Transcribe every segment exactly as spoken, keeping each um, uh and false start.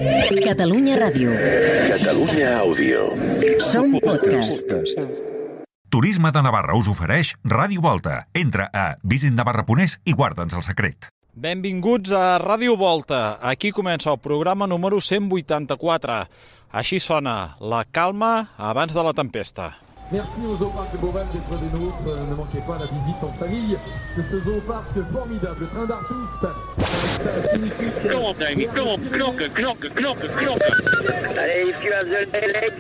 Catalunya Ràdio. Catalunya Àudio. Som podcast. Turisme de Navarra us ofereix Ràdio Volta. Entra a visit navarra punt es i guarda'ns el secret. Benvinguts a Ràdio Volta. Aquí comença el programa número cent vuitanta-quatre. Així sona la calma abans de la tempesta. Merci au Zooparc de Beauval d'être des nôtres. Ne manquez pas la visite en famille de ce Zooparc formidable. Train d'artistes. Kom op, Davy. Kom op. Knokken, knokken, knokken, knokken. Allez, if you have the leg,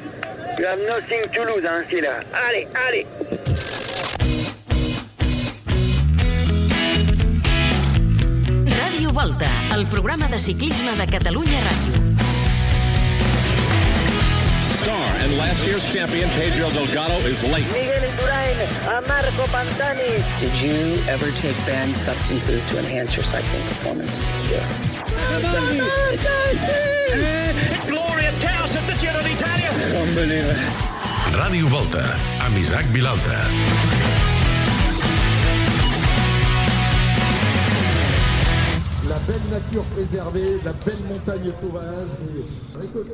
you have nothing to lose, hein, c'est là. Allez, allez. Ràdio Volta, el programa de ciclisme de Catalunya Ràdio. And last year's champion, Pedro Delgado, is late. Miguel Indurain, a Marco Pantani. Did you ever take banned substances to enhance your cycling performance? Yes. It's glorious chaos at the Giro d'Italia. Unbelievable. Ràdio Volta, amb Isaac Vilalta. La belle nature préservée, la belle montagne sauvage.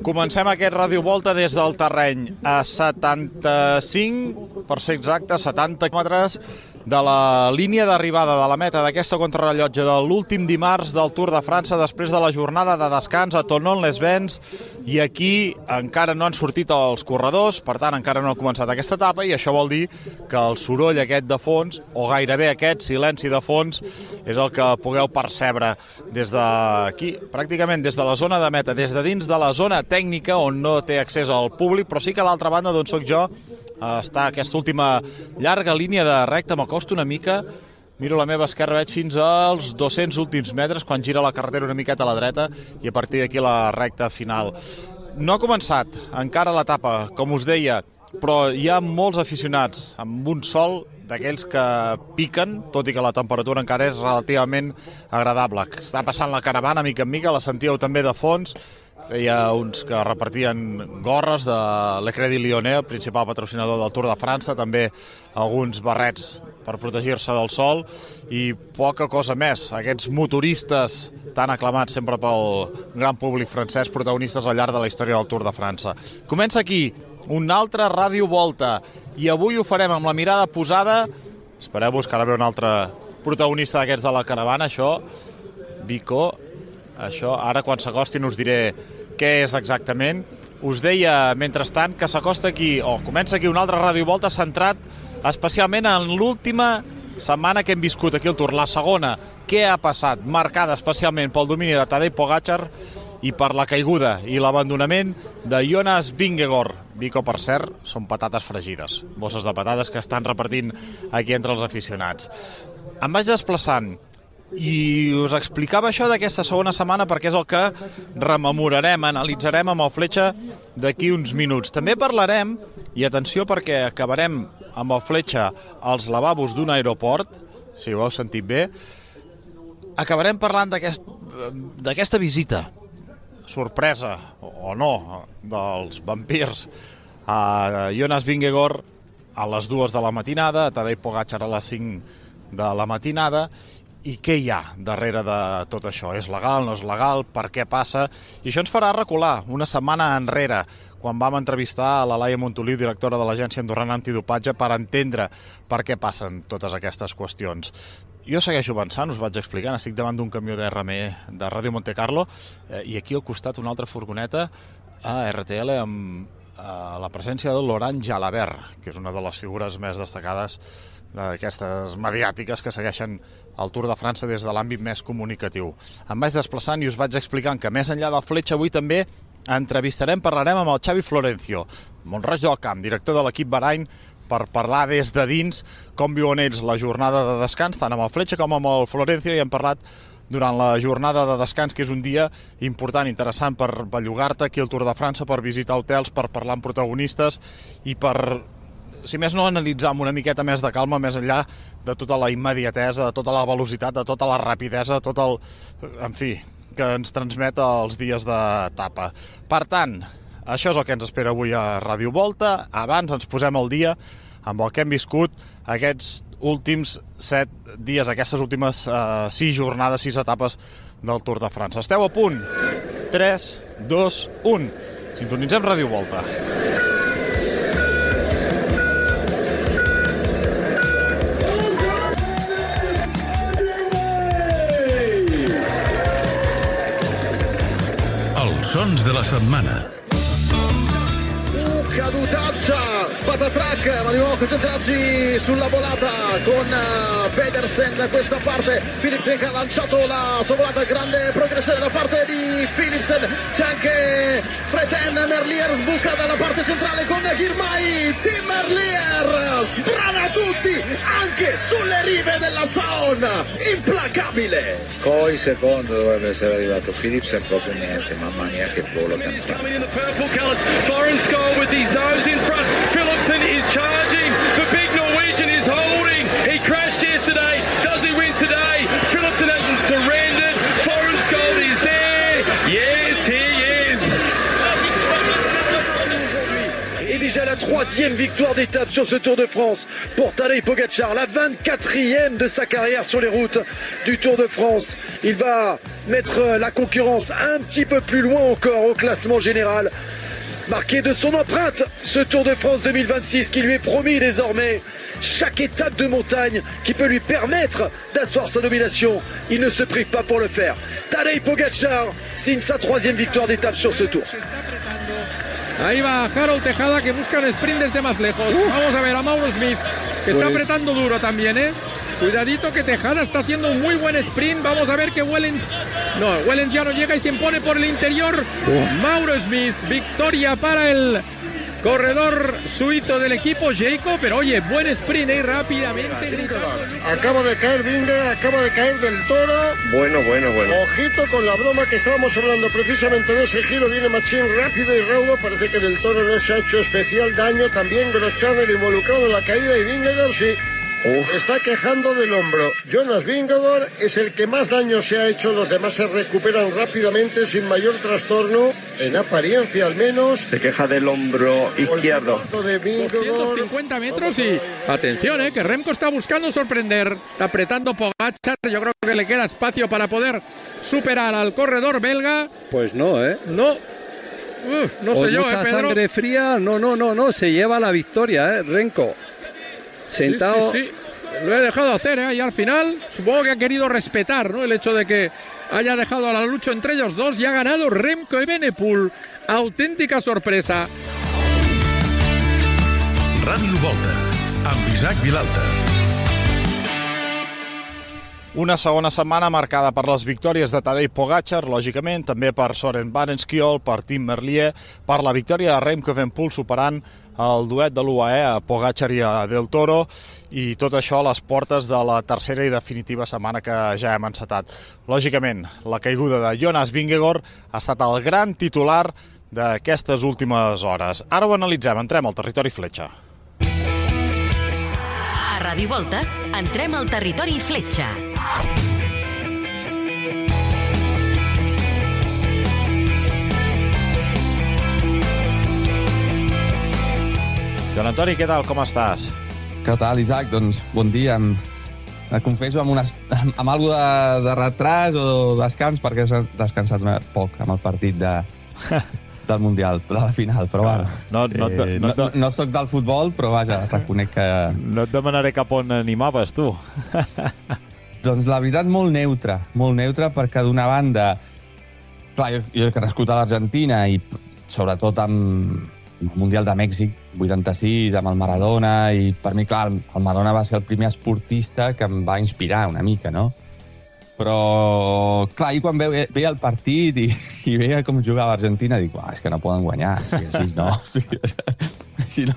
Comencem aquest Ràdio Volta des del terreny a setanta-cinc, per ser exacte, setanta quilòmetres de la línia d'arribada de la meta d'aquesta contrarrellotge de l'últim dimarts del Tour de França després de la jornada de descans a Thonon-les-Bains, i aquí encara no han sortit els corredors, per tant encara no ha començat aquesta etapa, i això vol dir que el soroll aquest de fons, o gairebé aquest silenci de fons, és el que pugueu percebre des d'aquí, pràcticament des de la zona de meta, des de dins de la zona tècnica on no té accés al públic, però sí que a l'altra banda d'on soc jo està aquesta última llarga línia de recta. M'acosto una mica, miro a la meva esquerra, veig fins als dos-cents últims metres quan gira la carretera una miqueta a la dreta i a partir d'aquí la recta final. No ha començat encara l'etapa, com us deia, però hi ha molts aficionats amb un sol d'aquells que piquen, tot i que la temperatura encara és relativament agradable. Està passant la caravana mica en mica, la sentíeu també de fons. Hi ha uns que repartien gorres de l'Ecrédit Lyonnais, el principal patrocinador del Tour de França, també alguns barrets per protegir-se del sol i poca cosa més. Aquests motoristes tan aclamats sempre pel gran públic francès, protagonistes al llarg de la història del Tour de França. Comença aquí una altra Ràdio Volta i avui ho farem amb la mirada posada. Espereu-vos que ara ve un altre protagonista d'aquests de la caravana, això, Vico. Això, ara quan s'acostin us diré què és exactament. Us deia, mentrestant, que s'acosta aquí, o comença aquí una altra Ràdio Volta centrat especialment en l'última setmana que hem viscut aquí al Tour, la segona. Què ha passat? Marcada especialment pel domini de Tadej Pogačar i per la caiguda i l'abandonament de Jonas Vingegaard. Vico, per cert, són patates fregides, bosses de patates que estan repartint aquí entre els aficionats. Em vaig desplaçant i us explicava això d'aquesta segona setmana perquè és el que rememorarem, analitzarem amb el Fletxa d'aquí uns minuts. També parlarem, i atenció perquè acabarem amb el Fletxa als lavabos d'un aeroport, si ho heu sentit bé, acabarem parlant d'aquest, d'aquesta visita sorpresa, o no, dels vampirs a Jonas Vingegaard a les dues de la matinada, a Tadej Pogačar a les cinc de la matinada. I què hi ha darrere de tot això? És legal, no és legal? Per què passa? I això ens farà recular una setmana enrere, quan vam entrevistar a la Laia Montoliu, directora de l'Agència Andorrana Antidopatge, per entendre per què passen totes aquestes qüestions. Jo segueixo avançant, us vaig explicant, estic davant d'un camió de R M E de Ràdio Monte Carlo eh, i aquí al costat una altra furgoneta a R T L amb eh, la presència de Laurent Jalabert, que és una de les figures més destacades d'aquestes mediàtiques que segueixen el Tour de França des de l'àmbit més comunicatiu. Em vaig desplaçant i us vaig explicant que més enllà del Fletxa avui també entrevistarem, parlarem amb el Xavi Florencio, Mont-roig del Camp, director de l'equip Bahrain, per parlar des de dins com viuen ells la jornada de descans, tant amb el Fletxa com amb el Florencio, i hem parlat durant la jornada de descans, que és un dia important, interessant per bellugar-te aquí al Tour de França, per visitar hotels, per parlar amb protagonistes i per, si més no, analitzar amb una miqueta més de calma, més enllà de tota la immediatesa, de tota la velocitat, de tota la rapidesa, de tot el... en fi, que ens transmet els dies d'etapa. Per tant, això és el que ens espera avui a Ràdio Volta. Abans ens posem al dia amb el que hem viscut aquests últims set dies, aquestes últimes eh, sis jornades, sis etapes del Tour de França. Esteu a punt? tres, dos, un. Sintonitzem Ràdio Volta. Els sons de la setmana. Cadutaccia, patatrack, ma di nuovo concentrarci sulla volata con uh, Pedersen da questa parte. Philipsen che ha lanciato la sua volata, grande progressione da parte di Philipsen. C'è anche Freten, Merlier sbuca dalla parte centrale con Girmay. Tim Merlier sbrana tutti anche sulle rive della Saon, implacabile. Poi secondo dovrebbe essere arrivato Philipsen, proprio niente, mamma mia che volo che hanno fatto. His nose in front. Philipsen is charging. The big Norwegian is holding. He crashed yesterday. Does he win today? Philipsen hasn't surrendered. Florence Gold is there. Yes, he is. Et déjà la troisième victoire d'étape sur ce Tour de France pour Tadej Pogačar, la vingt-quatrième de sa carrière sur les routes du Tour de France. Il va mettre la concurrence un petit peu plus loin encore au classement général. Marqué de son empreinte, ce Tour de France deux mille vingt-six qui lui est promis désormais chaque étape de montagne qui peut lui permettre d'asseoir sa domination. Il ne se prive pas pour le faire. Tadej Pogačar signe sa troisième victoire d'étape sur ce Tour. Ahí va Harold Tejada que busca el sprint desde más lejos. Vamos a ver a Mauro Smith que está apretando duro también, ¿eh? Cuidadito que Tejada está haciendo un muy buen sprint. Vamos a ver que Wellens... No, Wellens ya no llega y se impone por el interior. Oh. Mauro Smith, victoria para el corredor suizo del equipo Jayco, pero oye, buen sprint y ¿eh? rápidamente. Acaba de caer Vingegaard, acaba de caer del Toro. Bueno, bueno, bueno. Ojito con la broma que estábamos hablando precisamente de ese giro. Viene Machín rápido y raudo. Parece que del Toro no se ha hecho especial daño. También Groschaner involucrado en la caída y Vingegaard sí. Uf. Está quejando del hombro. Jonas Vingegaard es el que más daño se ha hecho. Los demás se recuperan rápidamente sin mayor trastorno, en apariencia al menos. Se queja del hombro izquierdo. De doscientos cincuenta metros y atención, eh, que Remco está buscando sorprender. Está apretando Pogačar. Yo creo que le queda espacio para poder superar al corredor belga. Pues no, ¿eh? No. Uf, no Con sé yo, mucha eh, Pedro. sangre fría. No, no, no, no. Se lleva la victoria, ¿eh? Remco. Sentado. Sí, sí, sí. Lo he dejado hacer, ¿eh? Y al final supongo que ha querido respetar, ¿no? El hecho de que haya dejado a la lucha entre ellos dos y ha ganado Remco Evenepoel. Auténtica sorpresa. Ràdio Volta, amb Isaac Vilalta. Una segona setmana marcada per les victòries de Tadej Pogačar, lògicament, també per Søren Vandenskiöld, per Tim Merlier, per la victòria de Remco Evenepoel superant el duet de l'U A E, a Pogačar i a Del Toro, i tot això a les portes de la tercera i definitiva setmana que ja hem encetat. Lògicament, la caiguda de Jonas Vingegaard ha estat el gran titular d'aquestes últimes hores. Ara ho analitzem, entrem al territori fletxa. A Ràdio Volta, entrem al territori fletxa. Joan Antoni, què tal? Com estàs? Què tal, Isaac? Doncs bon dia. Em, em confesso amb, una, amb, amb alguna de, de retras o descans, perquè he descansat poc amb el partit de, del Mundial, de la final, però bueno. No, no, no, eh, no, no, no soc del futbol, però vaja, reconec que... No et demanaré cap on animaves, tu. Doncs la veritat, molt neutre, molt neutre, perquè d'una banda, clar, jo, jo he nascut a l'Argentina i sobretot amb el Mundial de Mèxic, vuitanta-sis, amb el Maradona, i per mi, clar, el Maradona va ser el primer esportista que em va inspirar una mica, no? Però, clar, i quan veia, veia el partit i, i veia com jugava Argentina, dic, és que no poden guanyar, o sigui, així no, o sigui, així no,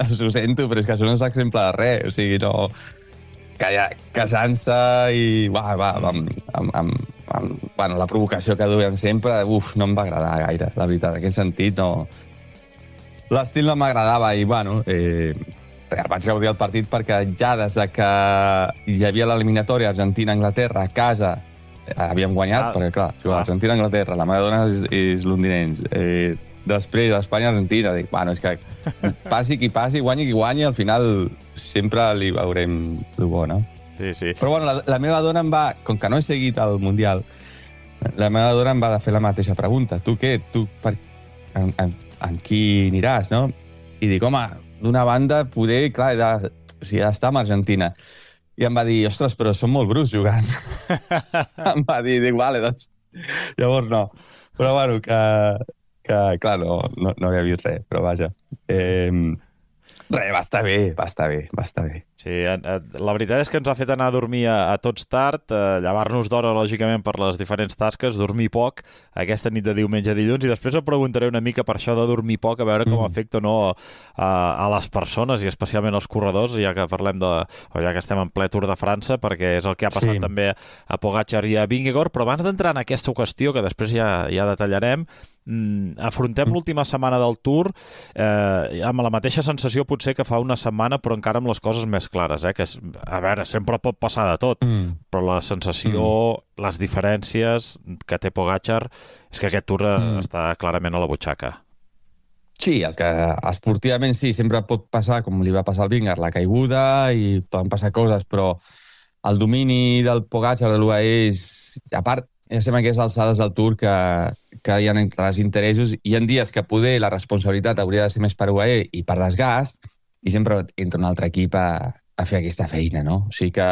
ho sento, però és que això no és exemple de res, o sigui, no, casant-se i, va, va, amb, amb, amb, amb, bueno, la provocació que duien sempre, uf, no em va agradar gaire, la veritat, en aquest sentit, no... L'estil no m'agradava i, bueno, eh, vaig gaudir el partit perquè ja des que hi havia l'eliminatòria Argentina-Anglaterra a casa havíem guanyat, ah, perquè, clar, ah. Argentina-Anglaterra, la Maradona és, és londinencs. Eh, després, Espanya-Argentina, dic, bueno, és que passi qui passi, guanyi qui guanyi, al final sempre li veurem el bo, no? Sí, sí. Però, bueno, la, la meva dona em va, com que no he seguit el Mundial, la meva dona em va fer la mateixa pregunta. Tu què? Tu per... en, en, en qui aniràs, no? I dic, home, d'una banda, poder, clar, he de... o sigui, he d'estar amb Argentina. I em va dir, ostres, però són molt brus jugant. Em va dir, dic, vale, doncs... Llavors no. Però, bueno, que... que clar, no, no, no havia vist res, però vaja. Eh... Res, va estar bé, va estar bé, va estar bé. Sí, la veritat és que ens ha fet anar a dormir a, a tots tard, a llevar-nos d'hora, lògicament, per les diferents tasques, dormir poc, aquesta nit de diumenge a dilluns, i després em preguntaré una mica per això de dormir poc, a veure com mm. afecta o no a, a les persones, i especialment als corredors, ja que parlem de... o ja que estem en ple Tour de França, perquè és el que ha passat sí. també a Pogačar i a Vingegaard, però abans d'entrar en aquesta qüestió, que després ja, ja detallarem, Mm, afrontem mm. l'última setmana del Tour eh, amb la mateixa sensació potser que fa una setmana, però encara amb les coses més clares, eh? Que és, a veure, sempre pot passar de tot, mm. però la sensació, mm. les diferències que té Pogačar és que aquest Tour mm. està clarament a la butxaca. Sí, el que esportivament sí, sempre pot passar, com li va passar al Vingegaard, la caiguda, i poden passar coses, però el domini del Pogačar de l'U A E és, a part, ja estem a aquestes alçades del Tour que, que hi ha entre els interessos. Hi ha dies que poder la responsabilitat hauria de ser més per U A E i per desgast, i sempre entra un altre equip a, a fer aquesta feina, no? O sigui que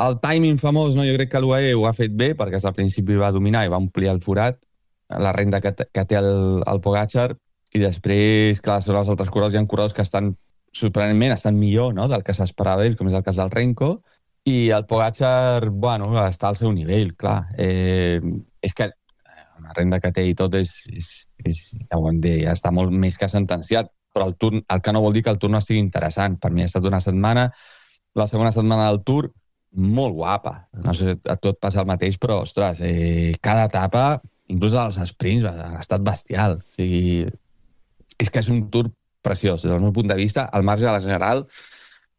el timing famós, no? Jo crec que l'U A E ho ha fet bé, perquè al principi va dominar i va omplir el forat, la renda que, que té el, el Pogačar, i després, clar, són els altres corredors, hi ha corredors que estan, sorprenentment, estan millor, no?, del que s'esperava d'ells, com és el cas del Renko, i el Pogačar, bueno, està al seu nivell, clar. Eh, és que la renda que té i tot és, és, és ja ho hem dit, ja està molt més que sentenciat, però el, turn, el que no vol dir que el Tour no estigui interessant. Per mi ha estat una setmana, la segona setmana del Tour, molt guapa. No sé, a tot passa el mateix, però, ostres, eh, cada etapa, inclús als sprints, ha estat bestial. O sigui, és que és un Tour preciós, des del meu punt de vista, al marge de la general.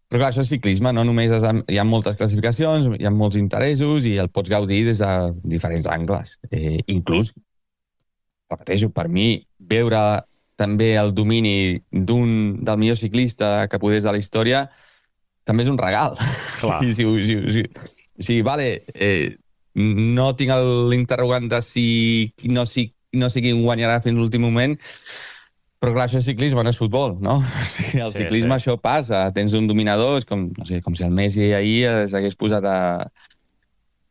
Però clar, això és ciclisme, no només és, hi ha moltes classificacions, hi ha molts interessos i el pots gaudir des de diferents angles. Eh, inclús, repeteixo, per mi, veure també el domini d'un del millor ciclista que podés de la història també és un regal. Clar. Sí, sí, sí, sí, sí, vale, eh, no tinc l'interrogant de si no, si no sé qui guanyarà fins l'últim moment, però clar, això és ciclisme, no és futbol, no? O sigui, el sí, ciclisme sí. Això passa, tens un dominador, és com, no sé, com si el Messi ahir s'hagués posat a,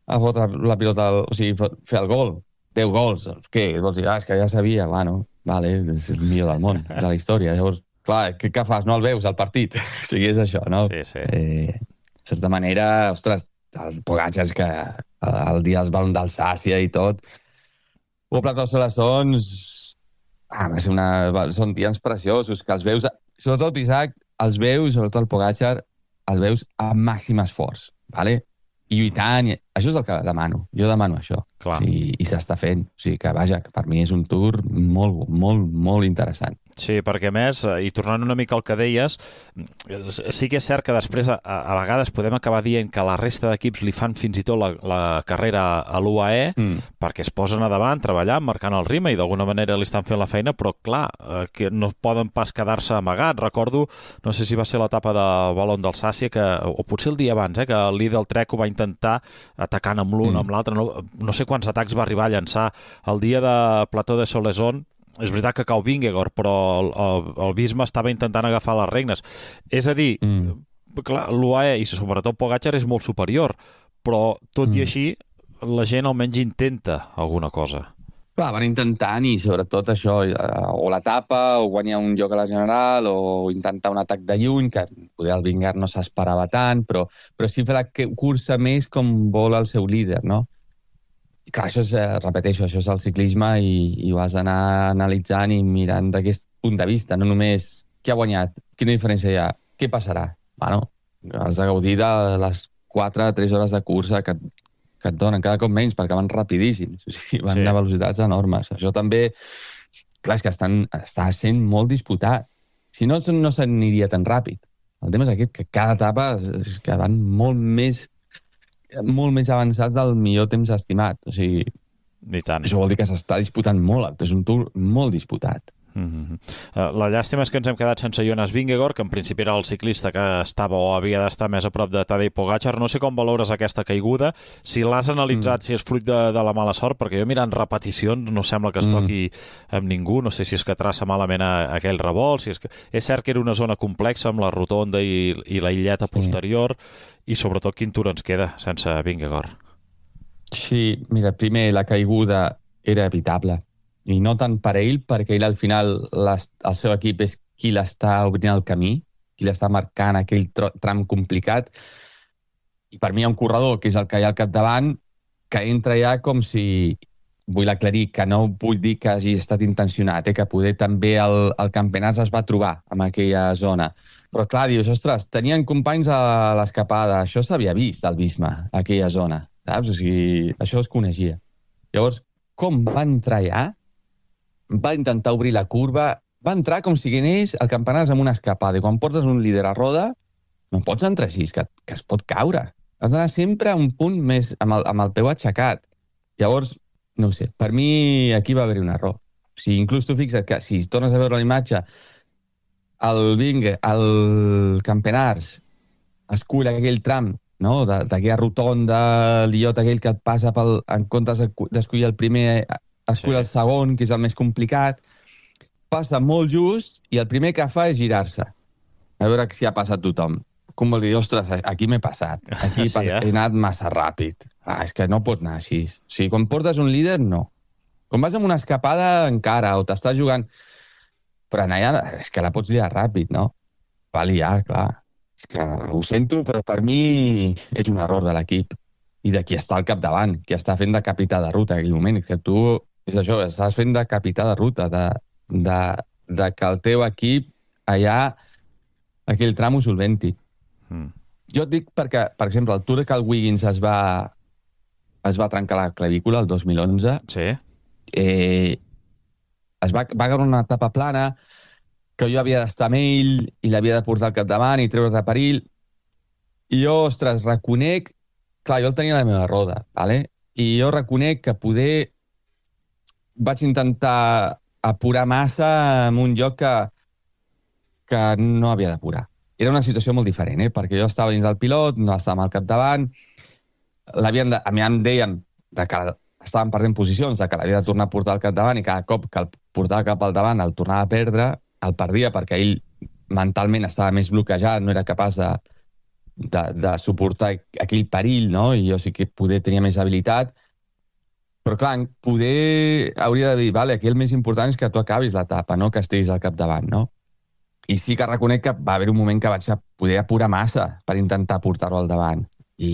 a fotre la pilota, o sigui, fer el gol, deu gols, què? Vols dir, ah, és que ja sabia, bueno, vale, és el millor del món, de la història, llavors, clar, què, què fas? No el veus, al partit? O sigui, és això, no? Sí, sí. Eh, de certa manera, ostres, el Pogačar és que el dia dels balons d'Alsàcia i tot, o Platós Solassons, ah, va ser una... són dies preciosos, que els veus, sobretot Isaac, els veus, sobretot el Pogačar, els veus a màxim esforç, ¿vale? I lluitant, i... això és el que demano, jo demano això. Clar. I, i s'està fent, o sigui que, vaja, que per mi és un Tour molt, molt, molt interessant. Sí, perquè a més, i tornant una mica al que deies, sí que és cert que després a, a vegades podem acabar dient que la resta d'equips li fan fins i tot la, la carrera a l'U A E mm. perquè es posen a davant, treballant, marcant el ritme i d'alguna manera li estan fent la feina, però clar, eh, que no poden pas quedar-se amagats. Recordo, no sé si va ser l'etapa de Balon d'Alsàcia, que, o potser el dia abans, eh, que el líder del Trek ho va intentar atacant amb l'un, mm. amb l'altre, no, no sé quants atacs va arribar a llançar. El dia de Plató de Solassons, és veritat que cau Vingegaard, però el, el, el Visma estava intentant agafar les regnes. És a dir, mm. clar, l'U A E i sobretot Pogačar és molt superior, però tot mm. i així la gent almenys intenta alguna cosa. Clar, van intentant i sobretot això, o l'etapa, o guanyar un lloc a la general, o intentar un atac de lluny, que poder el Vingegaard no s'esperava tant, però, però sí fer la cursa més com vol el seu líder, no? I clar, això és, repeteixo, això és el ciclisme i, i ho has d'anar analitzant i mirant d'aquest punt de vista, no només qui ha guanyat, quina diferència hi ha, què passarà. Bueno, has de gaudir de les quatre a tres hores de cursa que, que et donen, cada cop menys, perquè van rapidíssims, o sigui, van sí. a velocitats enormes. Això també, clar, és que estan, està sent molt disputat. Si no, no s'aniria tan ràpid. El tema és aquest, que cada etapa és que van molt més molt més avançats del millor temps estimat. O sigui, I tant. Això vol dir que s'està disputant molt, és un Tour molt disputat. Mm-hmm. La llàstima és que ens hem quedat sense Jonas Vingegaard, que en principi era el ciclista que estava o havia d'estar més a prop de Tadej Pogačar. No sé com valores aquesta caiguda, si l'has analitzat, mm. si és fruit de, de la mala sort, perquè jo mirant repeticions no sembla que es toqui mm. amb ningú, no sé si és que traça malament a, a aquell revolt, si és que... És cert que era una zona complexa amb la rotonda i, i la illeta posterior, sí. I sobretot quin tour ens queda sense Vingegaard. Sí, mira, primer la caiguda era evitable. I no tant per ell, perquè ell al final les, el seu equip és qui l'està obrint el camí, qui l'està marcant aquell tram complicat. I per mi hi ha un corredor, que és el que hi ha al capdavant, que entra ja com si... Vull aclarir que no vull dir que hagi estat intencionat, eh? Que poder també el, el Campenaerts es va trobar en aquella zona. Però clar, dius, ostres, tenien companys a l'escapada, això s'havia vist al Visma, aquella zona, saps? O sigui, això es coneixia. Llavors, com va entrar ja? Va intentar obrir la curva, va entrar com si anés el Campenaerts amb una escapada. I quan portes un líder a roda, no pots entrar així, que, que es pot caure. Has d'anar sempre a un punt més amb el, amb el peu aixecat. Llavors, no ho sé, per mi aquí va haver-hi un error. O sigui, inclús tu fixa't que si tornes a veure la imatge, el Vinge, el Campenaerts, escull aquell tram, no? d'aquella rotonda, l'illot aquell que et passa pel, en comptes d'escollir el primer... escull sí. el segon, que és el més complicat, passa molt just i el primer que fa és girar-se. A veure si ha passat tothom. Com vol dir, ostres, aquí m'he passat. Aquí sí, eh? He anat massa ràpid. Ah, és que no pot anar així. O sigui, quan portes un líder, no. Quan vas amb una escapada, encara, o t'estàs jugant... Però anar allà, és que la pots liar ràpid, no? Va liar, clar. És que ho sento, però per mi és un error de l'equip. I de qui està al capdavant, qui està fent de capità de ruta en aquell moment. Que tu... És això, estàs fent de capità de ruta, de, de, de que el teu equip allà, aquell tram ho solventi. Mm. Jo et dic perquè, per exemple, el Tour que el Wiggins es va, es va trencar la clavícula el dos mil onze, sí. eh, es va, va agarrar una etapa plana, que jo havia d'estar amb ell i l'havia de portar al capdavant i treure's de perill. I jo, ostres, reconec... Clar, jo el tenia a la meva roda, ¿vale? I jo reconec que poder... vaig intentar apurar massa en un lloc que, que no havia d'apurar. Era una situació molt diferent, eh? Perquè jo estava dins del pilot, no estava al capdavant, l'havien de, a mi em deien de que estàvem perdent posicions, de que l'havia de tornar a portar al capdavant i cada cop que el portava cap al davant el tornava a perdre, el perdia perquè ell mentalment estava més bloquejat, no era capaç de, de, de suportar aquell perill, no? I jo sí que poder tenia més habilitat. Però clar, poder hauria de dir, vale, aquí el més important és que tu acabis l'etapa, no que estiguis al capdavant, no? I sí que reconec que va haver un moment que vaig poder apurar massa per intentar portar-lo al davant. I,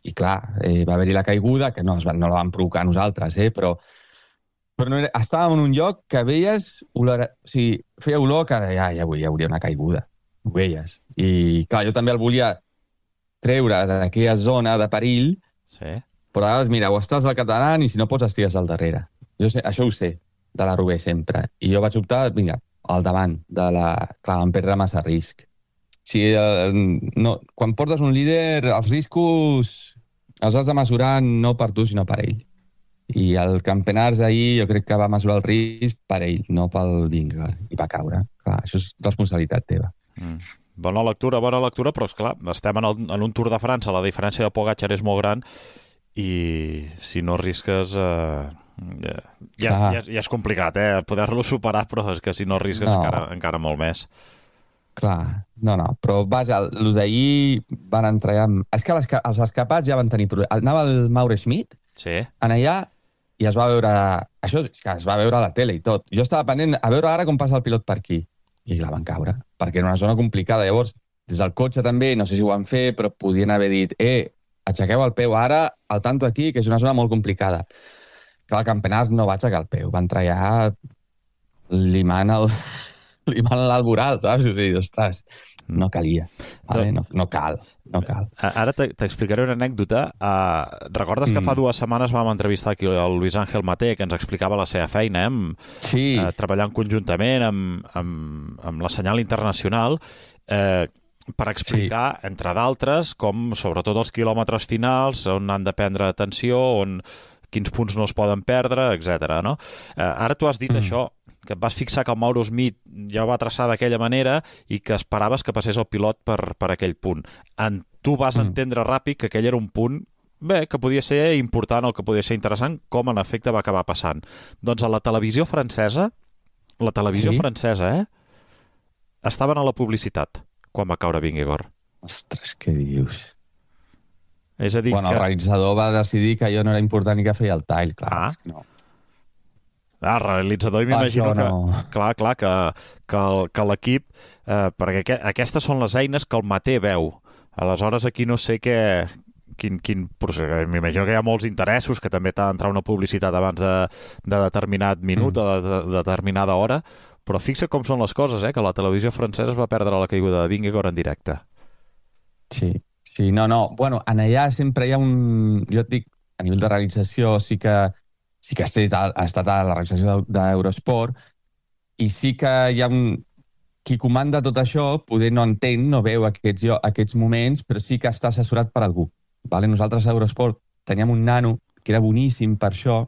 i clar, eh, va haver-hi la caiguda, que no, no la vam provocar nosaltres, eh, però, però no era, estàvem en un lloc que veies, olor, o sigui, feia olor que ja, ja hi hauria una caiguda, ho veies. I clar, jo també el volia treure d'aquella zona de perill, sí. Però ara, mira, o estàs al capdavant i si no pots estigues al darrere. Jo sé, això ho sé, de la Roubaix sempre. I jo vaig optar, vinga, al davant de la... Clar, em perdre massa risc. Si, eh, no, quan portes un líder, els riscos els has de mesurar no per tu, sinó per ell. I el Campenaerts ahir jo crec que va mesurar el risc per ell, no pel Vingegaard. I va caure. Clar, això és responsabilitat teva. Mm. Bona lectura, bona lectura, però esclar, estem en, el, en un Tour de França, la diferència de Pogačar és molt gran, i si no risques eh, ja, ja, ja, ja és complicat eh, poder-lo superar, però és que si no risques no. encara, encara molt més. Clar, no, no, però vaja, el d'ahir van entrar ja... És que les, els escapats ja van tenir problemes. Anava el Mauro Schmidt sí. en allà i es va veure... Això és que es va veure a la tele i tot. Jo estava pendent a veure ara com passa el pilot per aquí. I la van caure, perquè era una zona complicada. Llavors, des del cotxe també, no sé si ho van fer, però podien haver dit eh, aixequeu el peu ara, al tanto aquí, que és una zona molt complicada. Que el Campenaerts no va aixecar el peu, va entrar ja limant el... limant l'alboral, saps? O sigui, ostres, no calia. Vale? No, no cal, no cal. Ara t'explicaré una anècdota. Uh, recordes que mm. fa dues setmanes vam entrevistar aquí el Luis Ángel Maté, que ens explicava la seva feina, eh? Sí. Uh, treballant conjuntament amb, amb, amb la Senyal Internacional, eh, per explicar, sí. entre d'altres, com sobretot els quilòmetres finals, on han de prendre atenció, on quins punts no es poden perdre, etcètera. No? Eh, ara tu has dit mm. això, que et vas fixar que el Mauro Smith ja ho va traçar d'aquella manera i que esperaves que passés el pilot per, per aquell punt. En, tu vas mm. entendre ràpid que aquell era un punt bé, que podia ser important o que podia ser interessant, com en efecte va acabar passant. Doncs a la televisió francesa, la televisió sí? francesa, eh, estaven a la publicitat quan va caure Vingegaard. Ostres, què dius? És a dir bueno, que... el realitzador va decidir que allò no era important i que feia el tall, clar. Ah. És que no. Ah, el realitzador, m'imagino que, no. clar, clar, que, que, que l'equip, eh, perquè que, aquestes són les eines que el Maté veu. Aleshores, aquí no sé què, quin, quin procés. M'imagino que hi ha molts interessos, que també t'ha d'entrar una publicitat abans de, de determinat minut mm. o de, de, de determinada hora, però fixa com són les coses, eh, que la televisió francesa es va perdre la caiguda de Vingegaard en directe. Sí, sí, no, no. Bueno, en allà sempre hi ha un... Jo et dic, a nivell de realització sí que sí que ha estat, ha estat a la realització d'Eurosport i sí que hi ha un... Qui comanda tot això poder no entén, no veu aquests, aquests moments, però sí que està assessorat per algú. Vale? Nosaltres a Eurosport teníem un nano que era boníssim per això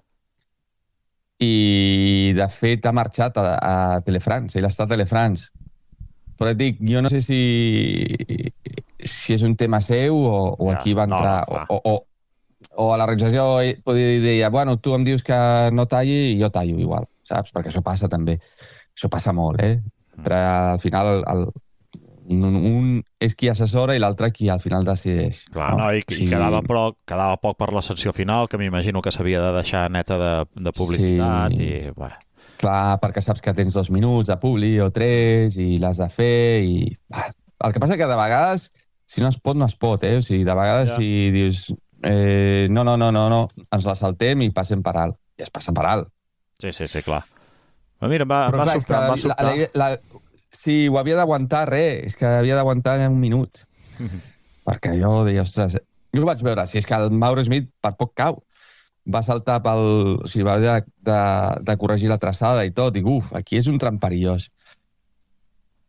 i, de fet, ha marxat a, a Telefrance. Ell està a Telefrance. Però et dic, jo no sé si, si és un tema seu o, o ja, aquí va entrar... No, no, o, o, o a la realització podia dir, bueno, tu em dius que no talli i jo tallo igual, saps? Perquè això passa també. Això passa molt, eh? Però al final el, un, un és qui assessora i l'altre qui al final decideix. Clar, no? No, i, i sí. quedava, però, quedava poc per la secció final, que m'imagino que s'havia de deixar neta de, de publicitat sí. i... Bé. Clar, perquè saps que tens dos minuts de publi o tres i l'has de fer i... Bah, el que passa que de vegades, si no es pot, no es pot, eh? O sigui, de vegades ja. si dius... Eh, no, no, no, no, no, ens la saltem i passem per alt. I es passa per alt. Sí, sí, sí, clar. Però mira, em va, Però, va clar, sobtar, va sobtar. La, la, la, sí, ho havia d'aguantar, res, és que havia d'aguantar en un minut. Mm-hmm. Perquè jo deia, ostres, jo ho vaig veure, si és que el Mauro Smith per poc cau. Va saltar pel... O sigui, va haver de, de, de corregir la traçada i tot. Dic, uf, aquí és un tram perillós.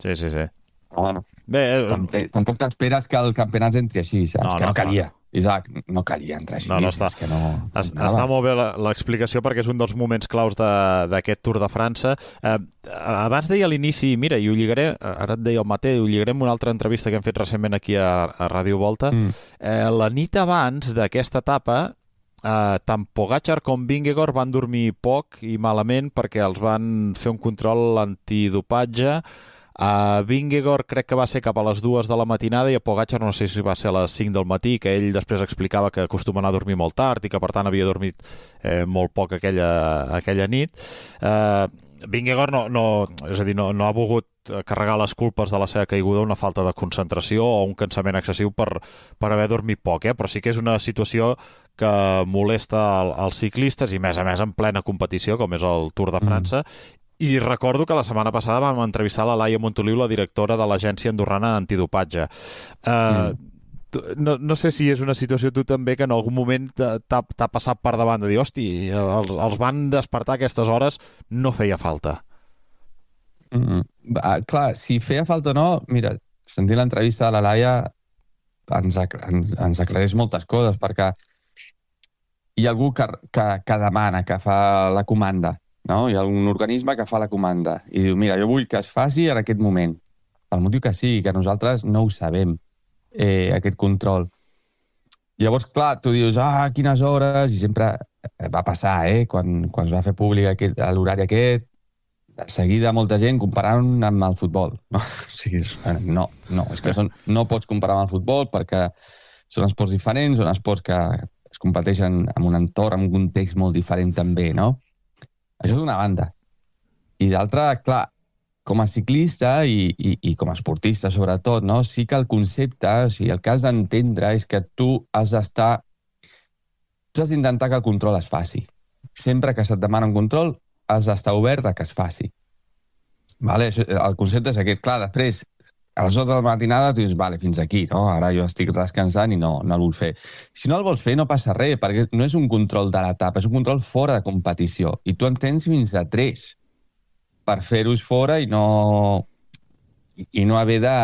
Sí, sí, sí. Però, bueno, Bé, eh... tampoc t'esperes que el campionat entri així, saps? No, que no, no calia. No. Isaac, no calia entrar així. No, no està, que no, es, està molt bé l'explicació perquè és un dels moments claus d'aquest Tour de França. Eh, abans deia a l'inici, mira, i ho lligaré, ara et deia el Maté, ho lligaré amb una altra entrevista que hem fet recentment aquí a, a Ràdio Volta. Mm. Eh, la nit abans d'aquesta etapa, eh, tant Pogačar com Vingegaard van dormir poc i malament perquè els van fer un control antidopatge. A Vingegaard crec que va ser cap a les dues de la matinada i a Pogačar no sé si va ser a les cinc del matí, que ell després explicava que acostuma a anar a dormir molt tard i que per tant havia dormit eh, molt poc aquella, aquella nit. Eh, Vingegaard no, no, és a dir, no, no ha volgut carregar les culpes de la seva caiguda una falta de concentració o un cansament excessiu per, per haver dormit poc, eh? Però sí que és una situació que molesta als ciclistes i més a més en plena competició com és el Tour de França. Mm. I recordo que la setmana passada vam entrevistar la Laia Montoliu, la directora de l'Agència Andorrana Antidopatge. Uh, mm. no, no sé si és una situació tu també que en algun moment t'ha passat per davant de dir, hosti, els, els van despertar a aquestes hores, no feia falta. Mm. Va, clar, si feia falta o no, mira, sentint l'entrevista de la Laia ens, ens, ens aclareix moltes coses, perquè hi ha algú que, que, que demana, que fa la comanda. No? Hi ha un organisme que fa la comanda i diu, mira, jo vull que es faci en aquest moment. El motiu que sí, que nosaltres no ho sabem, eh, aquest control. Llavors, clar, tu dius, ah, quines hores, i sempre va passar, eh, quan, quan es va fer públic l'horari aquest, de seguida molta gent comparant amb el futbol. No, o sigui, no, no, és que són, no pots comparar amb el futbol perquè són esports diferents, són esports que es competeixen en un entorn, en un context molt diferent també, no? Això d'una banda. I d'altra, clar, com a ciclista i, i, i com a esportista, sobretot, no? Sí que el concepte, o sigui, el que has d'entendre és que tu has d'estar... Tu has d'intentar que el control es faci. Sempre que se't demana un control, has d'estar obert a que es faci. Vale? El concepte és aquest. Clar, després, a les hores de la matinada, tu dius, vale, fins aquí, no? Ara jo estic descansant i no, no el vull fer. Si no el vols fer, no passa res, perquè no és un control de l'etapa, és un control fora de competició. I tu en tens fins a tres per fer-hos fora i no, i no haver de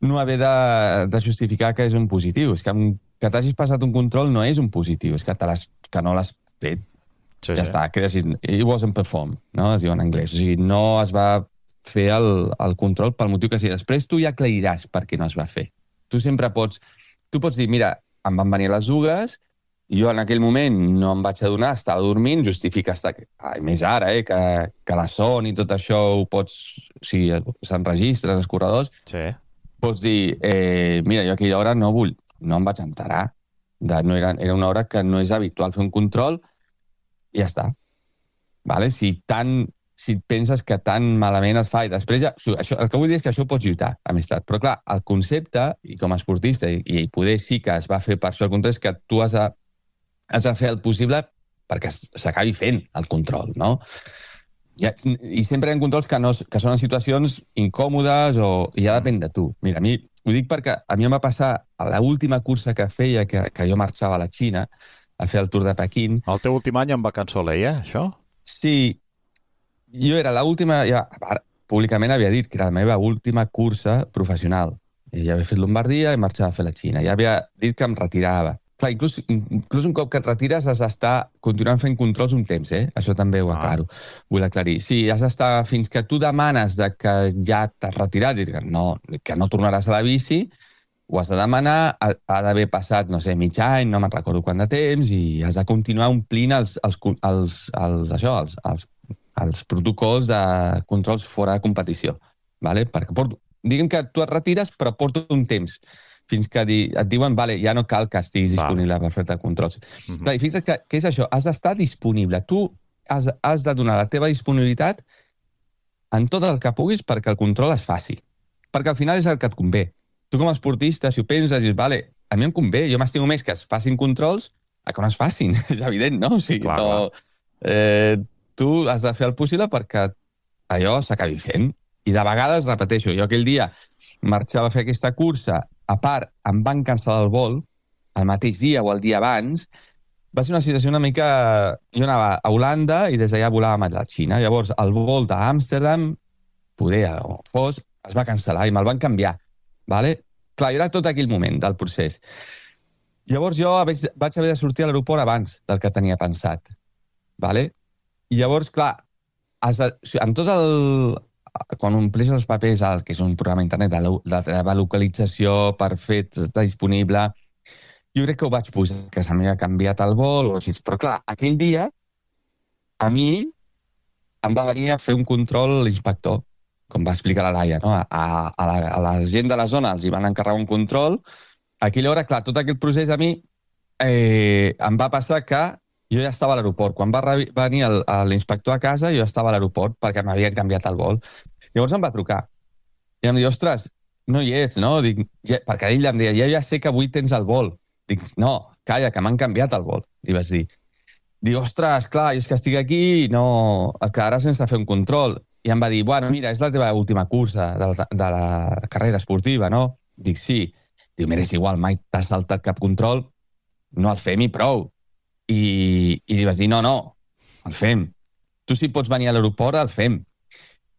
no haver de, de justificar que és un positiu. És que, que t'hagis passat un control no és un positiu, és que, te que no l'has fet. Sí, ja sí. està, que així, it wasn't performed, no? Es diu en anglès. O sigui, no es va fer el, el control pel motiu que sigui. Després tu ja aclariràs per què no es va fer. Tu sempre pots... Tu pots dir, mira, em van venir les ugues, jo en aquell moment no em vaig adonar, estava dormint, justifica estar... Ai, més ara, eh, que, que la son i tot això ho pots... O sigui, s'enregistra als corredors. Sí. Pots dir, eh, mira, jo a aquella hora no vull... No em vaig enterar. De, no era, era una hora que no és habitual fer un control i ja està. Vale? Si, tan, si penses que tan malament es fa i després ja... Això, el que vull dir és que això pots lluitar, amistat. Però clar, el concepte, i com a esportista, i, i poder sí que es va fer per això el control, és que tu has de has de fer el possible perquè s'acabi fent el control, no? I, i sempre hi ha controls que, no, que són en situacions incòmodes o i ja depèn de tu. Mira, a mi, ho dic perquè a mi em va passar a l'última cursa que feia, que, que jo marxava a la Xina a fer el Tour de Pequín. El teu últim any en vacança Soleil, eh, això? Sí, jo era l'última, ja, públicament havia dit que era la meva última cursa professional. I ja havia fet Lombardia i marxava a fer la Xina. Ja havia dit que em retirava. Clar, inclús, inclús un cop que et retires has d'estar continuant fent controls un temps, eh? Això també ho aclaro, ah. vull aclarir. Sí, has d'estar fins que tu demanes de que ja t'has retirat i que no, que no tornaràs a la bici, ho has de demanar, ha, ha d'haver passat, no sé, mig any, no me'n recordo quant de temps, i has de continuar omplint els, els, els, els, això, els, els, els protocols de controls fora de competició. Vale? Perquè porto, diguem que tu et retires, però porto un temps fins que di, et diuen, vale, ja no cal que estiguis disponible vale. per fer controls. Uh-huh. Clar, i fixa't que, que és això, has d'estar disponible. Tu has, has de donar la teva disponibilitat en tot el que puguis perquè el control es faci. Perquè al final és el que et convé. Tu com a esportista, si ho penses, dius, vale, a mi em convé, jo m'estimo més que es facin controls a que no es facin. És evident, no? O sigui, clar, no, eh, tu has de fer el possible perquè allò s'acabi fent. I de vegades, repeteixo, jo aquell dia marxava a fer aquesta cursa, a part, em van cancel·lar el vol, el mateix dia o el dia abans, va ser una situació una mica... Jo anava a Holanda i des d'allà volàvem a la Xina. Llavors, el vol d'Amsterdam, poder o fos, es va cancel·lar i me'l van canviar. Vale? Clar, era tot aquell moment del procés. Llavors jo vaig, vaig haver de sortir a l'aeroport abans del que tenia pensat. Vale? I llavors, clar, has de, amb tot el... quan ompleix els papers, el que és un programa internet de la teva localització per fet està disponible, jo crec que ho vaig posar, que se m'havia canviat el vol o així. Però clar, aquell dia a mi em va venir a fer un control l'inspector, com va explicar la Laia, no? a, a, la, a la gent de la zona els hi van encarregar un control. A aquella hora, clar, tot aquest procés a mi eh, em va passar que jo ja estava a l'aeroport. Quan va venir l'inspector a casa, jo estava a l'aeroport perquè m'havien canviat el vol. Llavors em va trucar. I em diu, ostres, no hi ets, no? Dic, ja, perquè ell em deia, ja, ja sé que avui tens el vol. Dic, no, calla, que m'han canviat el vol. Li vaig dir. Diu, ostres, clar, és que estic aquí i no... et quedaràs sense fer un control. I em va dir, bueno, mira, és la teva última cursa de la, de la carrera esportiva, no? Dic, sí. Diu, mira, és igual, mai t'has saltat cap control, no el fem i prou. I, i li vaig dir, no, no, el fem. Tu si pots venir a l'aeroport, el fem.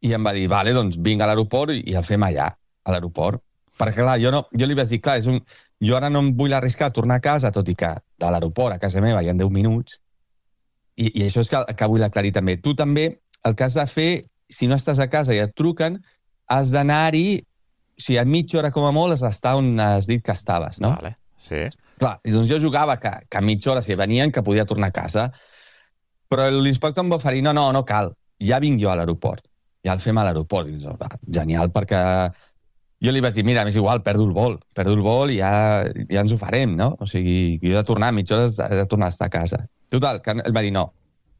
I em va dir, vale, doncs vinc a l'aeroport i el fem allà, a l'aeroport. Perquè, clar, jo, no, jo li vaig dir, clar, és un, jo ara no em vull arriscar a tornar a casa, tot i que de l'aeroport a casa meva hi ha deu minuts. I, i això és que, que vull aclarir també. Tu també, el que has de fer, si no estàs a casa i et truquen, has d'anar-hi, o sigui, a mitja hora com a molt has d'estar on has dit que estaves, no? Vale, sí. Clar, i doncs jo jugava que, que a mitja hora, si venien, que podia tornar a casa. Però l'inspector em va oferir, no, no, no cal, ja vinc jo a l'aeroport. Ja el fem a l'aeroport. I doncs, va, genial, perquè jo li vaig dir, mira, m'és igual, perdo el vol, perdo el vol i ja, ja ens ho farem, no? O sigui, jo he de tornar, a mitja hora he de tornar a estar a casa. Total, que ell va dir, no,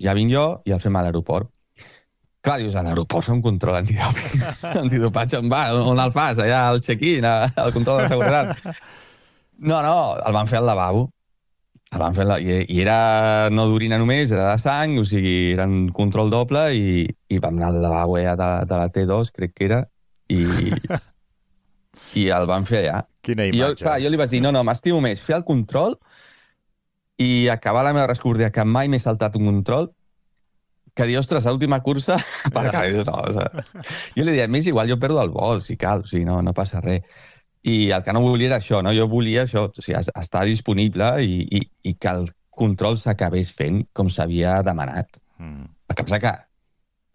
ja vinc jo i el fem a l'aeroport. Clar, dius, a l'aeroport fer un control antidopatge. Antidopatge, va, on el fas? Allà al check-in, al control de seguretat. No, no, el van fer al lavabo. El van fer la... I, I era no d'orina només, era de sang, o sigui, era un control doble i, i vam anar al lavabo ja de, de la T dos, crec que era, i, i el van fer allà. Quina imatge. I jo, clar, jo li vaig dir, no, no, m'estimo més fer el control i acabar la meva rescordia, que mai m'he saltat un control, que dir, ostres, l'última cursa, perquè no, o sigui, jo li deia, més igual, jo perdo el vol, si cal, o sigui, no, no passa res. I el que no volia era això, no? Jo volia això, o sigui, estar disponible i, i, i que el control s'acabés fent com s'havia demanat. Mm. El que passa que,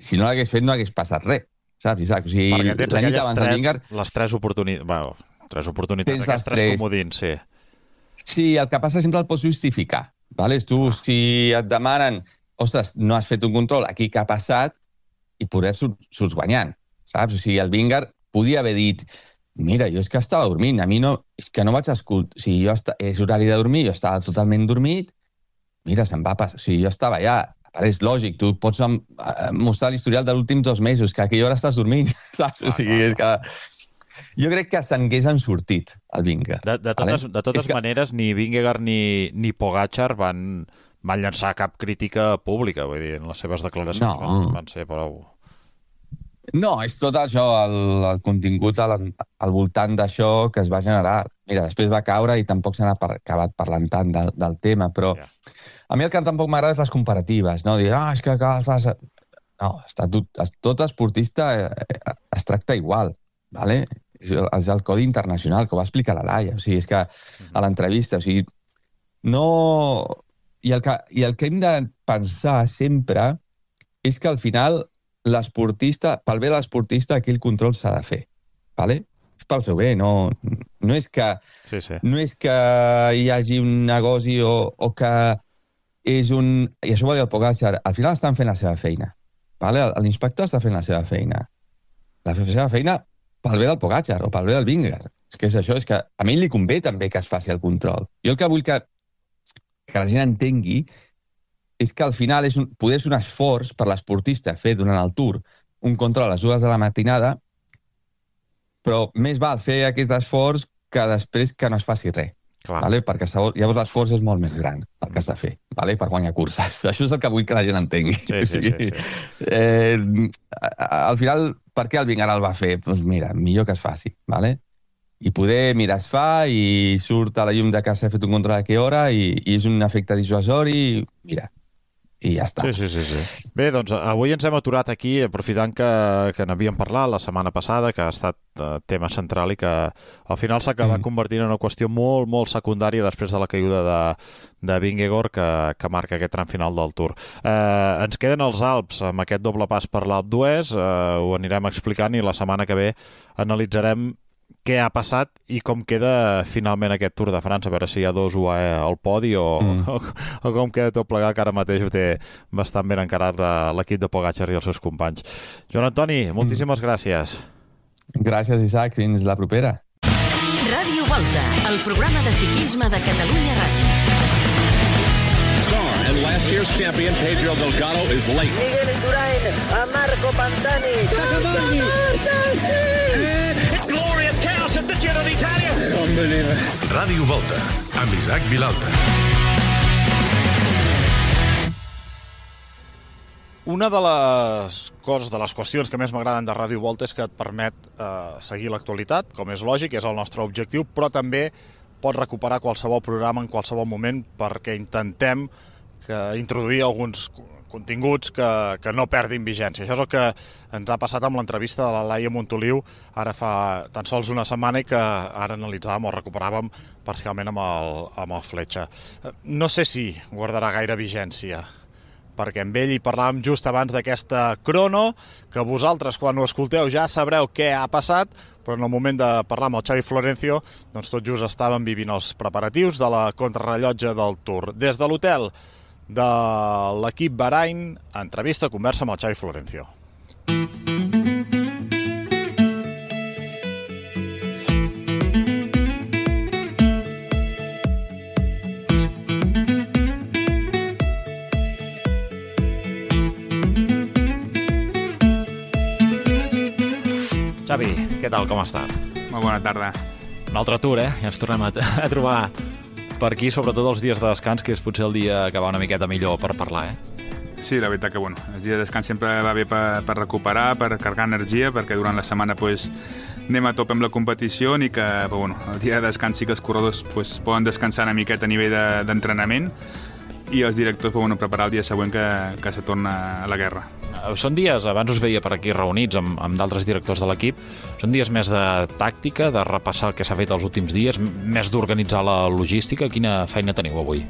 si no l'hagués fet, no hagués passat res. Saps, Isaac? O sigui, perquè tens aquelles tres, Vingar... les tres oportunitats, bueno, tres oportunitats, aquests tres, tres comodins, sí. Sí, el que passa sempre el pots justificar. Vale? Tu, ah. si et demanen, ostres, no has fet un control, aquí què ha passat, i poder surts guanyant, saps? O sigui, el Vingar podia haver dit, mira, jo és que estava dormint, a mi no, és que no vaig escoltar, o sigui, jo est... és horari de dormir, jo estava totalment dormit, mira, se'm va passar, o sigui, jo estava allà, és lògic, tu pots mostrar l'historial dels últims dos mesos, que a aquella hora estàs dormint, saps? O sigui, és que... Jo crec que s'hagués sortit, el Vingegaard. De, de totes, de totes que... maneres, ni Vingegaard ni, ni Pogačar van, van llançar cap crítica pública, vull dir, en les seves declaracions no. van, van ser prou... No, és tot això, el, el contingut al, al voltant d'això que es va generar. Mira, després va caure i tampoc s'ha acabat parlant tant del, del tema, però... Yeah. A mi el que tampoc m'agrada és les comparatives, no? Dir, ah, és que cal... No, està tot, tot esportista es tracta igual, ¿vale? És, és el codi internacional, que ho va explicar la Laia, o sigui, és que a l'entrevista, o sigui, no... I el, que, I el que hem de pensar sempre és que al final l'esportista, pel bé de l'esportista, aquell control s'ha de fer, ¿vale? És pel seu bé, no, no, és que, sí, sí. no és que hi hagi un negoci o, o que és un... I això ho va dir el Pogačar, al final estan fent la seva feina, ¿vale? L'inspector està fent la seva feina. La seva feina pel bé del Pogačar o pel bé del Vingegaard. És que és això, és que a mi li convé també que es faci el control. Jo el que vull que, que la gent entengui és que al final és un, poder ser un esforç per l'esportista fer durant el Tour un control a les dues de la matinada, però més val fer aquest esforç que després que no es faci res. Vale? Perquè llavors l'esforç és molt més gran el que has de fer, vale? Per guanyar curses. Això és el que vull que la gent entengui. Sí, sí, sí, sí. Eh, al final, per què el Vingegaard el va fer? Doncs pues mira, millor que es faci, vale? I poder, mira, es fa i surt a la llum de que s'ha fet un control a què hora i, i és un efecte dissuasori i mira, i ja està. Sí, sí, sí, sí. Bé, doncs avui ens hem aturat aquí, aprofitant que, que n'havíem parlat la setmana passada, que ha estat uh, tema central i que al final s'ha acabat mm. convertint en una qüestió molt, molt secundària després de la caiguda de, de Vingegaard que, que marca aquest tram final del Tour. Uh, ens queden els Alps amb aquest doble pas per l'Alp d'Huez, uh, ho anirem explicant i la setmana que ve analitzarem què ha passat i com queda finalment aquest Tour de França, a veure si hi ha dos U A E al podi o, mm. o, o com queda tot plegat, que ara mateix ho té bastant ben encarat l'equip de Pogačar i els seus companys. Joan Antoni, moltíssimes mm. gràcies. Gràcies, Isaac. Fins la propera. Ràdio Volta, el programa de ciclisme de Catalunya Ràdio. And last year's champion, Pedro Delgado, is late. Miguel Indurain, a Marco Pantani. It's glorious chaos at the Giro d'Italia. Unbelievable. Ràdio Volta, amb Isaac Vilalta. Una de les coses, de les qüestions que més m'agraden de Ràdio Volta és que et permet eh, seguir l'actualitat, com és lògic, és el nostre objectiu, però també pots recuperar qualsevol programa en qualsevol moment perquè intentem que introduir alguns continguts que, que no perdin vigència. Això és el que ens ha passat amb l'entrevista de la Laia Montoliu ara fa tan sols una setmana i que ara analitzàvem o recuperàvem parcialment amb el, amb el Fletxa. No sé si guardarà gaire vigència, perquè amb ell hi parlàvem just abans d'aquesta crono, que vosaltres quan ho escolteu ja sabreu què ha passat, però en el moment de parlar amb el Xavi Florencio, doncs tot just estàvem vivint els preparatius de la contrarrellotge del Tour. Des de l'hotel de l'equip Bahrain, entrevista, conversa amb el Xavi Florencio. Xavi, què tal, com estàs? Molt bona tarda. Un altre Tour, eh? Ja ens tornem a, a trobar per aquí, sobretot els dies de descans, que és potser el dia que va una miqueta millor per parlar, eh? Sí, la veritat que, bueno, els dies de descans sempre va bé per, per recuperar, per carregar energia, perquè durant la setmana pues, anem a tope amb la competició i que, però, bueno, el dia de descans sí que els corredors pues, poden descansar una miqueta a nivell d'entrenament de, i els directors bueno, preparar el dia següent que, que se torna a la guerra. Són dies, abans us veia per aquí reunits amb, amb d'altres directors de l'equip, són dies més de tàctica, de repassar el que s'ha fet els últims dies, més d'organitzar la logística. Quina feina teniu avui?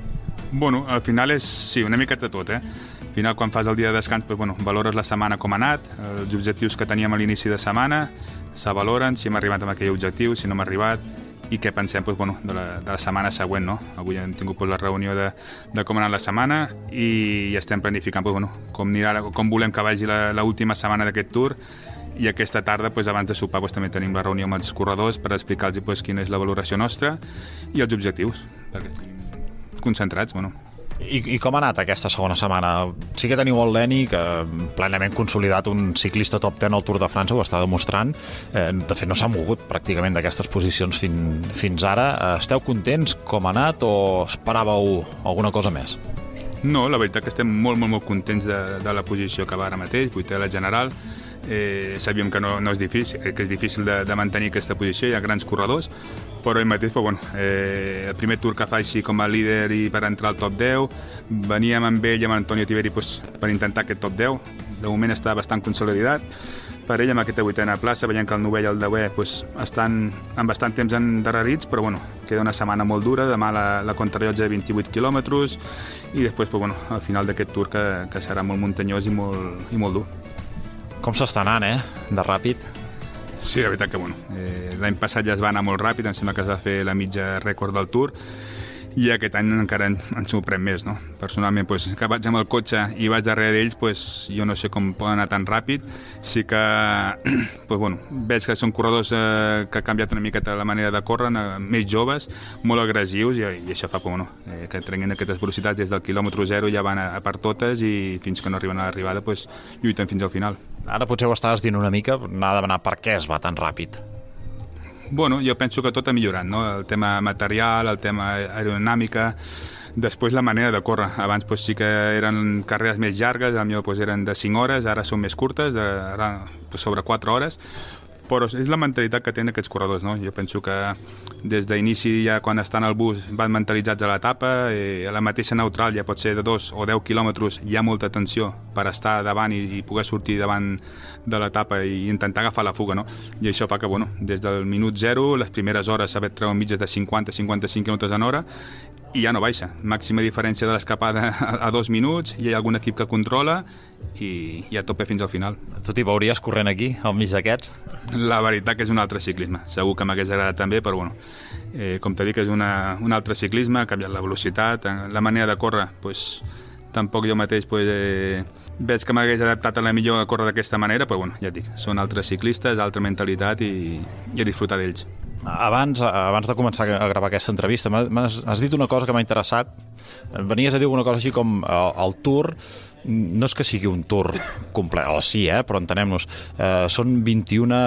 Bueno, al final és, sí, una miqueta tot, eh? Al final, quan fas el dia de descans, doncs, bueno, valores la setmana com ha anat, els objectius que teníem a l'inici de setmana, s'avaloren, si hem arribat amb aquell objectiu, si no hem arribat, i què pensem doncs, bueno, de, la, de la setmana següent, no? Avui hem tingut doncs, la reunió de, de com ha anat la setmana i estem planificant doncs, bueno, com, anirà, com volem que vagi l'última setmana d'aquest Tour, i aquesta tarda, doncs, abans de sopar, doncs, també tenim la reunió amb els corredors per explicar-los doncs, quina és la valoració nostra i els objectius, perquè estem concentrats, bueno. I, I com ha anat aquesta segona setmana? Sí que teniu el Leni, que plenament consolidat, un ciclista top deu al Tour de França, ho està demostrant. Eh, de fet, no s'ha mogut pràcticament d'aquestes posicions fin, fins ara. Esteu contents com ha anat o esperàveu alguna cosa més? No, la veritat que estem molt, molt, molt contents de, de la posició que va ara mateix, vuitè a la general. Eh, sabíem que no, no és difícil, que és difícil de, de mantenir aquesta posició, hi ha grans corredors, però ell mateix, però, bueno, eh, el primer Tour que fa així com a líder i per entrar al top deu, veníem amb ell i amb Antonio Tiberi pues, per intentar aquest top deu, de moment està bastant consolidat, per ell amb aquesta vuitena plaça, veiem que el novè i el deuè pues, estan amb bastant temps endarrerits, però bueno, queda una setmana molt dura, demà la, la contrarellotge de vint-i-vuit quilòmetres i després pues, bueno, al final d'aquest Tour que, que serà molt muntanyós i molt, i molt dur. Com s'està anant, eh? De ràpid. Sí, la veritat que, bueno, eh, l'any passat ja es va anar molt ràpid, em sembla que es va fer la mitja rècord del Tour, i aquest any encara en, en sorprèn més, no? Personalment, pues, que vaig amb el cotxe i vaig darrere d'ells, pues, jo no sé com poden anar tan ràpid. Sí que, pues, bueno, veig que són corredors eh, que han canviat una miqueta la manera de córrer, eh, més joves, molt agressius, i, i això fa bueno, eh, que trenguin aquestes velocitats des del quilòmetre zero, ja van a, a per totes, i fins que no arriben a l'arribada, pues, lluiten fins al final. Ara potser ho estaves dient una mica, n'ha de demanar per què es va tan ràpid. Bueno, jo penso que tot ha millorat, no? El tema material, el tema aerodinàmica, després la manera de córrer. Abans pues, sí que eren carreres més llargues, potser pues, eren de cinc hores, ara són més curtes, de, ara, pues, sobre quatre hores, però és la mentalitat que tenen aquests corredors, no? Jo penso que des d'inici, ja quan estan al bus, van mentalitzats a l'etapa, eh, a la mateixa neutral ja pot ser de dos o deu quilòmetres, hi ha molta tensió per estar davant i, i poder sortir davant de l'etapa i intentar agafar la fuga, no? I això fa que, bueno, des del minut zero, les primeres hores s'ha treuen mitges de cinquanta a cinquanta-cinc quilòmetres en hora, i ja no baixa. Màxima diferència de l'escapada a dos minuts, hi ha algun equip que controla i, i a tope fins al final. Tu t'hi veuries corrent aquí, al mig d'aquests? La veritat que és un altre ciclisme. Segur que m'hagués agradat també, però bueno, eh, com t'he dit, és una, un altre ciclisme, ha canviat la velocitat, la manera de córrer, pues, tampoc jo mateix pues, eh, veig que m'hagués adaptat a la millor a córrer d'aquesta manera, però bueno, ja et dic, són altres ciclistes, altra mentalitat i, i a disfrutar d'ells. Abans, abans de començar a gravar aquesta entrevista, m'has, has dit una cosa que m'ha interessat. Venies a dir alguna cosa així com el, el Tour, no és que sigui un Tour complet, o sí, eh, però entenem-nos, eh, són vint-i-una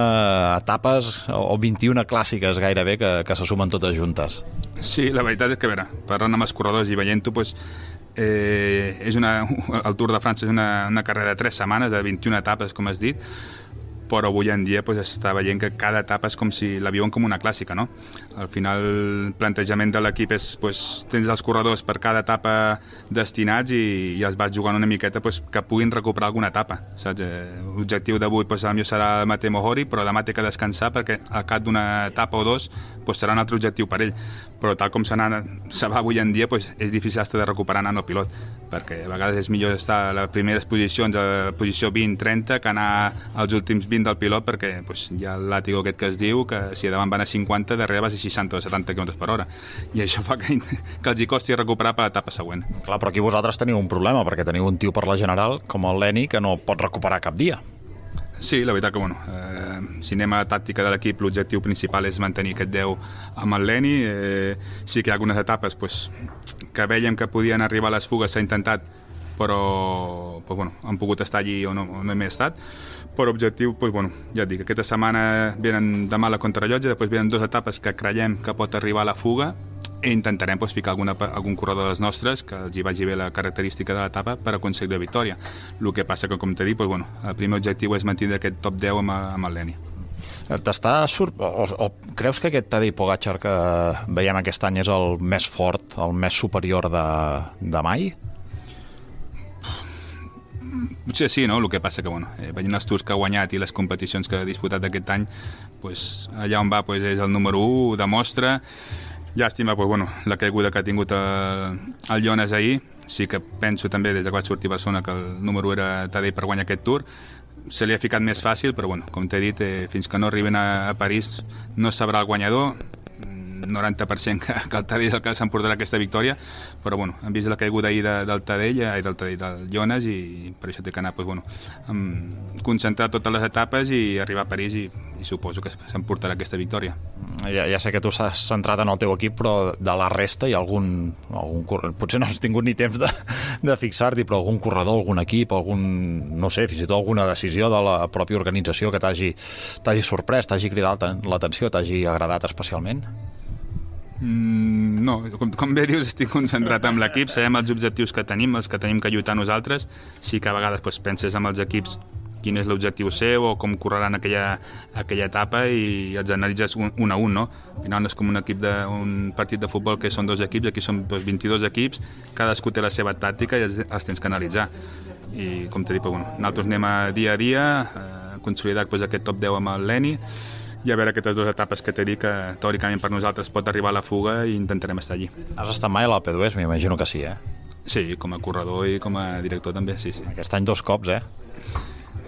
etapes o vint-i-una clàssiques gairebé que, que se sumen totes juntes. Sí, la veritat és que, a veure, parlant amb els corredors i veient-ho, pues, eh, és una, el Tour de França és una, una carrera de tres setmanes, de vint-i-una etapes, com has dit, però avui en dia pues, està veient que cada etapa és com si la viuen com una clàssica, no? Al final el plantejament de l'equip és pues, tens els corredors per cada etapa destinats i, i els vas jugant una miqueta pues, que puguin recuperar alguna etapa, saps? L'objectiu d'avui pues, potser serà el Matej Mohori, però demà té que descansar perquè al cap d'una etapa o dos pues, serà un altre objectiu per ell, però tal com se, se va avui en dia pues, és difícil estar de recuperar anant al pilot, perquè a vegades és millor estar a les primeres posicions, a la posició vint trenta, que anar als últims vint del pilot, perquè pues, hi ha el làtigo aquest que es diu, que si davant van a cinquanta, darrere vas a seixanta o setanta quilòmetres per hora, i això fa que, que els hi costi recuperar per l'etapa següent. Clar, però aquí vosaltres teniu un problema, perquè teniu un tio per la general, com el Leni, que no pot recuperar cap dia. Sí, la veritat que, bueno, eh, si anem a la tàctica de l'equip, l'objectiu principal és mantenir aquest deu amb el Leni. Eh, sí que hi ha algunes etapes pues, que veiem que podien arribar a les fugues, s'ha intentat, però pues, bueno, han pogut estar allí o no, o no hem estat. Per objectiu, pues, bueno, ja et dic, aquesta setmana venen demà la contrarellotge, després venen dues etapes que creiem que pot arribar a la fuga i intentarem pues, ficar alguna, algun corredor dels nostres que els hi vagi bé la característica de l'etapa per aconseguir la victòria. El que passa que, com t'he dit, pues, bueno, el primer objectiu és mantenir aquest top deu amb, amb el Leni. T'està surt... O, o creus que aquest Tadej Pogačar que veiem aquest any és el més fort, el més superior de, de mai? Potser sí, no? El que passa que, bueno, eh, veient els tours que ha guanyat i les competicions que ha disputat aquest any, pues, allà on va pues, és el número u, demostra, Llàstima, pues, bueno, la caiguda que ha tingut el, el Jonas ahir. Sí que penso també, des que vaig sortir a Barcelona, que el número era Tadej per guanyar aquest Tour. Se li ha ficat més fàcil, però bueno, com t'he dit, eh, fins que no arriben a, a París no sabrà el guanyador. noranta per cent que, que el Tadej és el que s'emportarà aquesta victòria, però bueno, hem vist la caiguda ahir de, del Tadej, eh, del Tadej, del Jonas, i per això té que anar, pues, bueno, um, concentrar totes les etapes i arribar a París, i, i suposo que s'emportarà aquesta victòria. Ja, ja sé que tu s'has centrat en el teu equip, però de la resta hi ha algun, algun potser no has tingut ni temps de, de fixar-t'hi, però algun corredor, algun equip, algun, no sé, fins i tot alguna decisió de la pròpia organització que t'hagi t'hagi sorprès, t'hagi cridat l'atenció, t'hagi agradat especialment? Mm, no, com, com bé dius, estic concentrat amb l'equip, sabem els objectius que tenim, els que tenim que lluitar nosaltres. Sí que a vegades pues, penses amb els equips quin és l'objectiu seu o com correran aquella, aquella etapa i els analitzes un, un a un, no? Al final no és com un, equip de, un partit de futbol que són dos equips, aquí són pues, vint-i-dos equips, cadascú té la seva tàctica i els, els tens que analitzar. I com t'he dit, pues, bueno, nosaltres anem a dia a dia, a consolidar pues, aquest top deu amb el Leni, i a veure aquestes dues etapes que t'he dit que teòricament per nosaltres pot arribar a la fuga i intentarem estar allí. Has estat mai a l'Alpe d'Huez? M'imagino que sí, eh? Sí, com a corredor i com a director també, sí, sí. Aquest any dos cops, eh?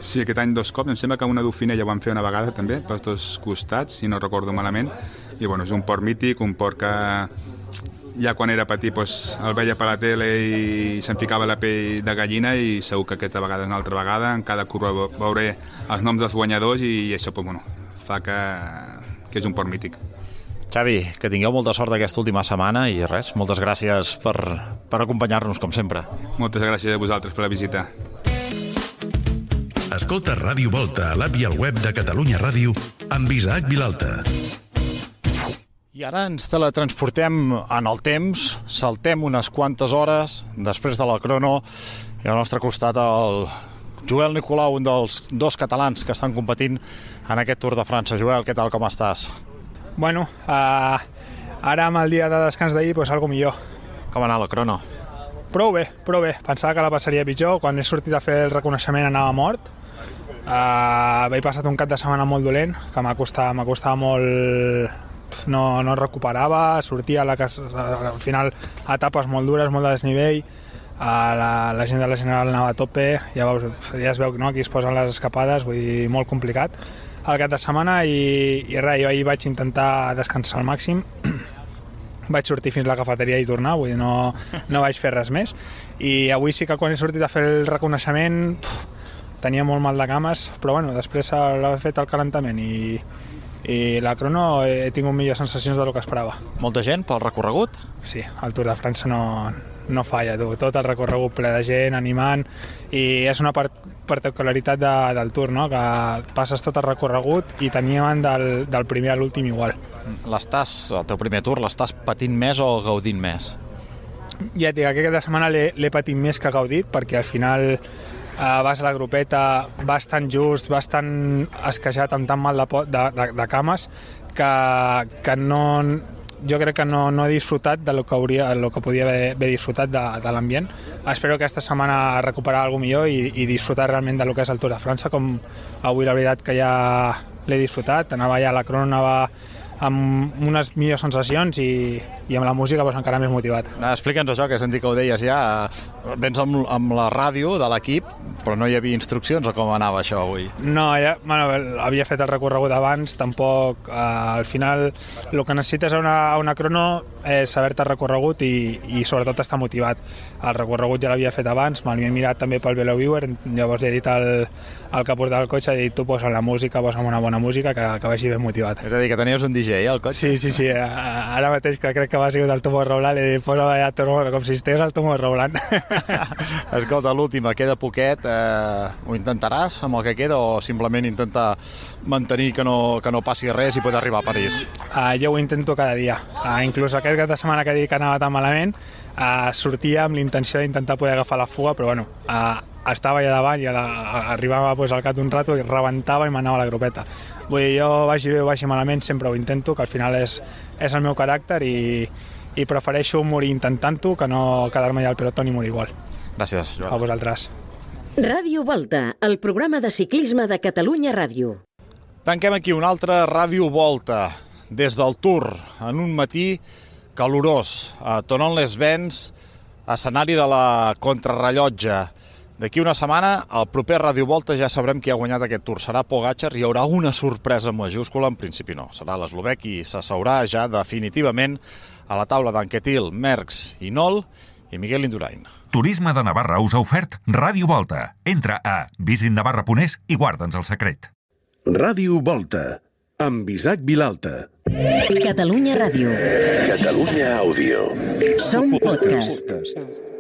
Sí, aquest any dos cops. Em sembla que una Dauphiné ja ho vam fer una vegada també, pels dos costats, si no recordo malament. I bueno, és un port mític, un port que ja quan era petit pues, el veia per la tele i se'm ficava la pell de gallina, i segur que aquesta vegada és una altra vegada. En cada curva veuré els noms dels guanyadors i això pues, bueno, fa que, que és un port mític. Xavi, que tingueu molta sort aquesta última setmana i res, moltes gràcies per, per acompanyar-nos, com sempre. Moltes gràcies a vosaltres per la visita. Escolta Ràdio Volta a l'app i al web de Catalunya Ràdio amb Isaac Vilalta. I ara ens teletransportem en el temps, saltem unes quantes hores després de la crono i al nostre costat el Joel Nicolau, un dels dos catalans que estan competint en aquest Tour de França. Joel, què tal, com estàs? Bueno, uh, ara amb el dia de descans d'ahir, doncs algo millor. Com va anar la crono? Prou bé, prou bé. Pensava que la passaria pitjor. Quan he sortit a fer el reconeixement anava mort. Uh, Vaig passat un cap de setmana molt dolent, que m'ha costat, m'ha costat molt... No, no recuperava, sortia a la casa, al final etapes molt dures, molt de desnivell. Uh, la, la gent de la General anava a tope, ja, veus, ja es veu, no? Aquí es posen les escapades, vull dir, molt complicat el cap de setmana, i, i res, jo ahir vaig intentar descansar al màxim. Vaig sortir fins a la cafeteria i tornar, vull dir, no, no vaig fer res més, i avui sí que quan he sortit a fer el reconeixement puf, tenia molt mal de cames, però bueno, després l'he fet el calentament i, i la crono he tingut millors sensacions del que esperava. Molta gent pel recorregut? Sí, el Tour de França no... no falla, tu. Tot el recorregut ple de gent, animant, i és una part, particularitat de, del Tour, no? Que passes tot el recorregut i teníem del, del primer a l'últim igual. L'estàs, el teu primer Tour, l'estàs patint més o gaudint més? Ja et dic, aquesta setmana l'he patit més que gaudit, perquè al final eh, vas a la grupeta, vas tan just, vas tan esqueixat amb tan mal de, de, de, de cames, que, que no... jo crec que no, no he disfrutat de lo que, hauria, lo que podia haver, haver disfrutat de, de l'ambient. Espero que aquesta setmana recuperar alguna millor i, i disfrutar realment del que és el Tour de França, com avui la veritat que ja l'he disfrutat. Anava ja a la crono, anava amb unes millors sensacions i, i amb la música doncs, encara més motivat. Explica'ns això, que he sentit que ho deies ja. Vens amb, amb la ràdio de l'equip, però no hi havia instruccions o com anava això avui? No, ja, bueno, havia fet el recorregut abans, tampoc... Eh, al final el que necessites a una, a una crono és saber-te el recorregut i, i sobretot estar motivat. El recorregut ja l'havia fet abans, me l'havia mirat també pel VeloViewer, llavors li he dit al, al que portava el cotxe, he dit tu posa la música, posa una bona música, que, que vagi ben motivat. És a dir, que tenies un D J al cotxe? Sí, sí, sí, ara mateix que crec que va sigut el Tomorrowland i posa allà com si estigués al Tomorrowland. Escolta, l'última, queda poquet, eh, ho intentaràs amb el que queda o simplement intentar mantenir que no, que no passi res i poder arribar a París? Uh, jo ho intento cada dia, uh, inclús aquest cap de setmana que he dit que anava tan malament, uh, sortia amb l'intenció d'intentar poder agafar la fuga, però bueno, uh, estava allà davant i arribava pues, al cap d'un rato i rebentava i m'anava a la grupeta. Vull dir, jo vagi bé o vagi malament sempre ho intento, que al final és, és el meu caràcter i, i prefereixo morir intentant-ho que no quedar-me allà al pelotó ni morir igual. Gràcies, Joan. A vosaltres. Ràdio Volta, el programa de ciclisme de Catalunya Ràdio. Tanquem aquí una altra Ràdio Volta des del Tour en un matí calorós a Thonon-les-Bains, escenari de la contrarrellotge. D'aquí una setmana, al proper Ràdio Volta, ja sabrem qui ha guanyat aquest Tour. Serà Pogačar i hi haurà una sorpresa majúscula, en principi no. Serà l'eslovè qui s'asseurà ja definitivament a la taula d'Anquetil, Merckx i Nol i Miguel Indurain. Turisme de Navarra us ha ofert Ràdio Volta. Entra a visit navarra punt es i guarda'ns el secret. Ràdio Volta, amb Isaac Vilalta. Catalunya Ràdio. Catalunya Àudio. Som podcast.